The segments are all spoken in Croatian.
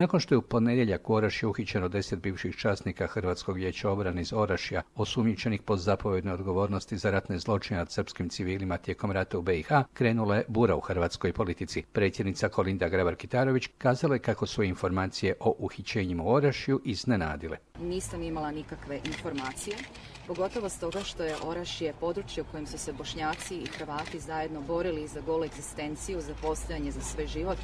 Nakon što je u ponedjeljak u Orašju uhićeno 10 bivših časnika Hrvatskog vijeća obrane iz Orašja, osumnjičenih po zapovjednoj odgovornosti za ratne zločine nad srpskim civilima tijekom rata u BiH, krenula je bura u hrvatskoj politici. Predsjednica Kolinda Grabar-Kitarović kazala je kako su informacije o uhićenjima u Orašju iznenadile. Nisam imala nikakve informacije, pogotovo stoga što je Orašje područje u kojem su se Bošnjaci i Hrvati zajedno borili za golu egzistenciju, za postojanje, za svoj život,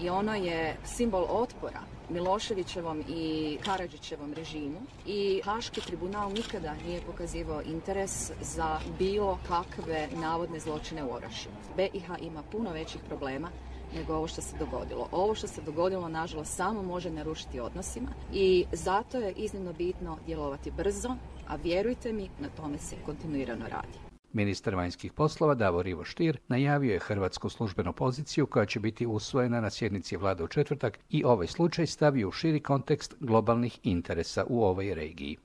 i ono je simbol otpora Miloševićevom i Karadžićevom režimu, i Haški tribunal nikada nije pokazivao interes za bilo kakve navodne zločine u Orašju. BiH ima puno većih problema nego ovo što se dogodilo. Ovo što se dogodilo, nažalost, samo može narušiti odnosima i zato je iznimno bitno djelovati brzo, a vjerujte mi, na tome se kontinuirano radi. Ministar vanjskih poslova Davor Ivo Stier najavio je hrvatsku službenu poziciju koja će biti usvojena na sjednici vlade u četvrtak i ovaj slučaj stavio u širi kontekst globalnih interesa u ovoj regiji.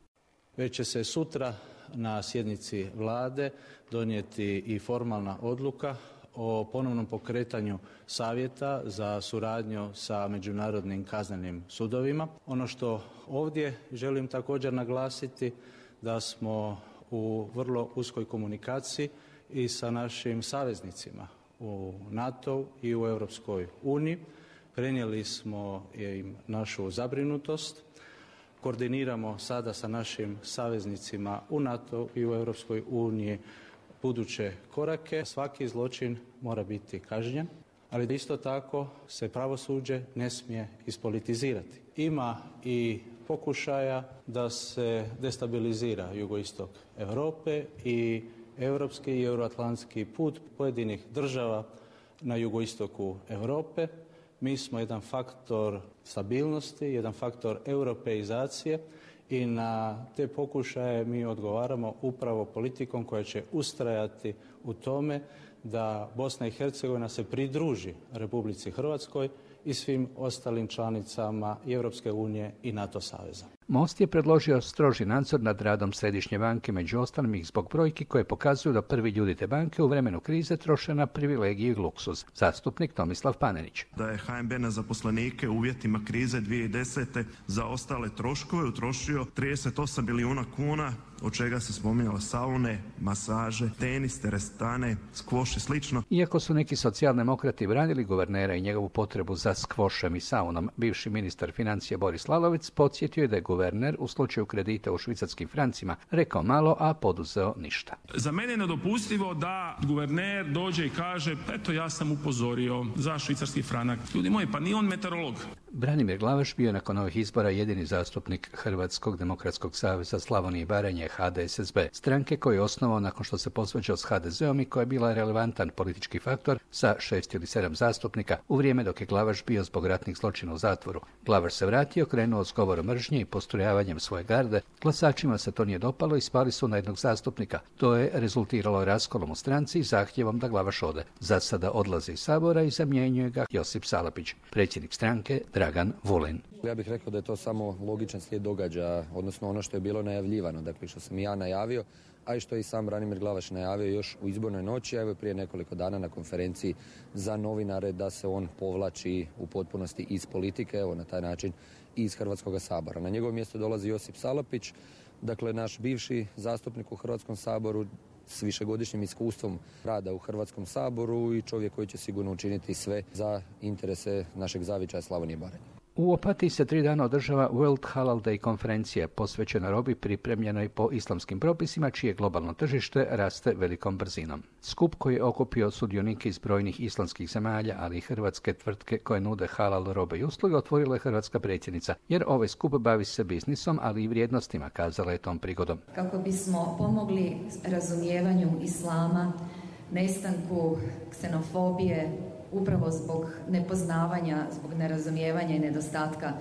Već će se sutra na sjednici vlade donijeti i formalna odluka o ponovnom pokretanju savjeta za suradnju sa međunarodnim kaznenim sudovima. Ono što ovdje želim također naglasiti da smo u vrlo uskoj komunikaciji i sa našim saveznicima u NATO i u Europskoj uniji. Prenijeli smo im našu zabrinutost. Koordiniramo sada sa našim saveznicima u NATO i u Europskoj uniji buduće korake. Svaki zločin mora biti kažnjen, ali isto tako se pravosuđe ne smije ispolitizirati. Ima i pokušaja da se destabilizira jugoistok Europe i europski i euroatlantski put pojedinih država na jugoistoku Europe. Mi smo jedan faktor stabilnosti, jedan faktor europeizacije i na te pokušaje mi odgovaramo upravo politikom koja će ustrajati u tome da Bosna i Hercegovina se pridruži Republici Hrvatskoj i svim ostalim članicama i Europske unije i NATO saveza. Most je predložio stroži nadzor nad radom Središnje banke, među ostalim i zbog brojki koje pokazuju da prvi ljudi te banke u vremenu krize troše na privilegiju i luksuz. Zastupnik Tomislav Panenić. Da je HNB na zaposlenike u uvjetima krize 2010. za ostale troškove utrošio 38 milijuna kuna, od čega se spominjalo saune, masaže, tenis, teretane, skvoš i slično. Iako su neki socijaldemokrati branili guvernera i njegovu potrebu za skvošem i saunom, bivši ministar financija Boris Lalovac podsjetio je da je guverner u slučaju kredita u švicarskim francima rekao malo, a poduzeo ništa. Za mene je nedopustivo da guverner dođe i kaže eto ja sam upozorio za švicarski franak. Ljudi moji, pa nije on meteorolog. Branimir Glavaš bio nakon ovih izbora jedini zastupnik Hrvatskog demokratskog saveza Slavonije i Baranje HDSSB, stranke koju je osnovao nakon što se posvađao s HDZ-om i koja je bila relevantan politički faktor sa 6 ili 7 zastupnika u vrijeme dok je Glavaš bio zbog ratnih zločina u zatvoru. Glavaš se vratio, krenuo s govorom mržnje i postrojavanjem svoje garde. Glasačima se to nije dopalo i spali su na jednog zastupnika. To je rezultiralo raskolom u stranci i zahtjevom da Glavaš ode. Za sada odlazi iz Sabora i zamjenjuje ga Josip Salapić. Predsjednik stranke Dragan Vulin. Ja bih rekao da je to samo logičan slijed događaja, odnosno ono što je bilo najavljivano, dakle što sam ja najavio, a i što je i sam Branimir Glavaš najavio još u izbornoj noći, a evo prije nekoliko dana na konferenciji za novinare da se on povlači u potpunosti iz politike, evo na taj način i iz Hrvatskog sabora. Na njegovo mjesto dolazi Josip Salapić, dakle naš bivši zastupnik u Hrvatskom saboru s višegodišnjim iskustvom rada u Hrvatskom saboru i čovjek koji će sigurno učiniti sve za interese našeg zavičaja Slavonije i Baranje. U Opatiji se 3 dana održava World Halal Day konferencija posvećena robi pripremljenoj po islamskim propisima, čije globalno tržište raste velikom brzinom. Skup koji je okupio sudionike iz brojnih islamskih zemalja, ali i hrvatske tvrtke koje nude halal robe i usluge, otvorila je hrvatska predsjednica, jer ovaj skup bavi se biznisom, ali i vrijednostima, kazala je tom prigodom. Kako bismo pomogli razumijevanju islama, nestanku ksenofobije, upravo zbog nepoznavanja, zbog nerazumijevanja i nedostatka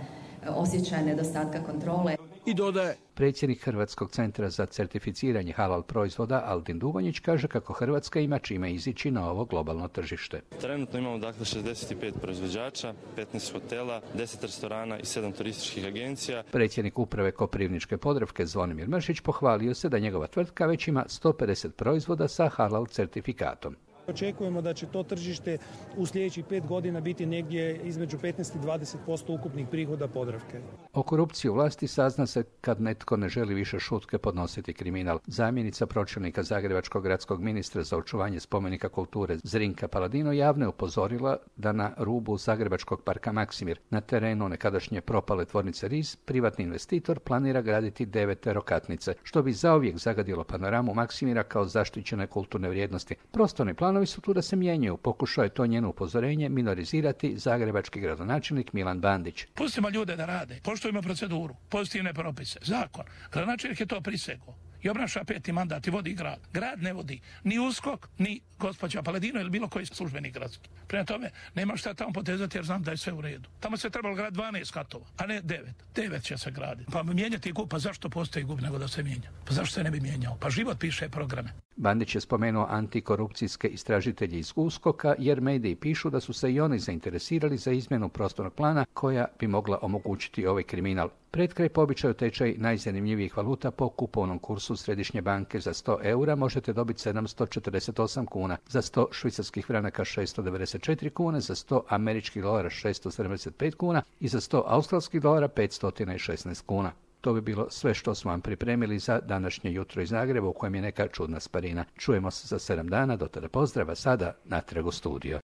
osjećaja, nedostatka kontrole. I dodaje. Predsjednik Hrvatskog centra za certificiranje halal proizvoda Aldin Dugonjić kaže kako Hrvatska ima čime izići na ovo globalno tržište. Trenutno imamo dakle 65 proizvođača, 15 hotela, 10 restorana i 7 turističkih agencija. Predsjednik uprave Koprivničke Podravke Zvonimir Mršić pohvalio se da njegova tvrtka već ima 150 proizvoda sa halal certifikatom. Očekujemo da će to tržište u sljedećih 5 godina biti negdje između 15 i 20% ukupnih prihoda Podravke. O korupciji u vlasti sazna se kad netko ne želi više šutke podnositi kriminal. Zamjenica pročelnika Zagrebačkog gradskog ministra za očuvanje spomenika kulture Zrinka Paladino javno je upozorila da na rubu Zagrebačkog parka Maksimir, na terenu nekadašnje propale tvornice RIZ, privatni investitor planira graditi 9 terokatnice, što bi zauvijek zagadilo panoramu Maksimira kao zaštićene kulturne vrijednosti. Prostorni planovi su tu da se mijenjaju. Pokušao je to njeno upozorenje minorizirati zagrebački gradonačelnik Milan Bandić. Pustimo ljude da rade, poštujemo proceduru, pozitivne propise, zakon. Gradonačelnik je to prisegao i obnaša 5. mandat i vodi grad. Grad ne vodi ni USKOK, ni gospođa Paladino ili bilo koji službenik gradski. Prema tome, nema šta tamo potezati jer znam da je sve u redu. Tamo se trebalo graditi 12 katova, a ne 9. 9 će se graditi. Pa mijenjati GUP, pa zašto postoji GUP nego da se mijenja? Pa zašto se ne bi mijenjao? Pa život piše programe. Bandić je spomenuo antikorupcijske istražitelje iz USKOK-a jer mediji pišu da su se i oni zainteresirali za izmjenu prostornog plana koja bi mogla omogućiti ovaj kriminal. Pred kraj po običaju tečaj najzanimljivijih valuta po kupovnom kursu Središnje banke za 100 eura možete dobiti 748 kuna, za 100 švicarskih franaka 694 kune, za 100 američkih dolara 675 kuna i za 100 australskih dolara 516 kuna. To bi bilo sve što smo vam pripremili za današnje jutro iz Zagreba u kojem je neka čudna sparina. Čujemo se za 7 dana, do tada pozdrava, sada natrag u studio.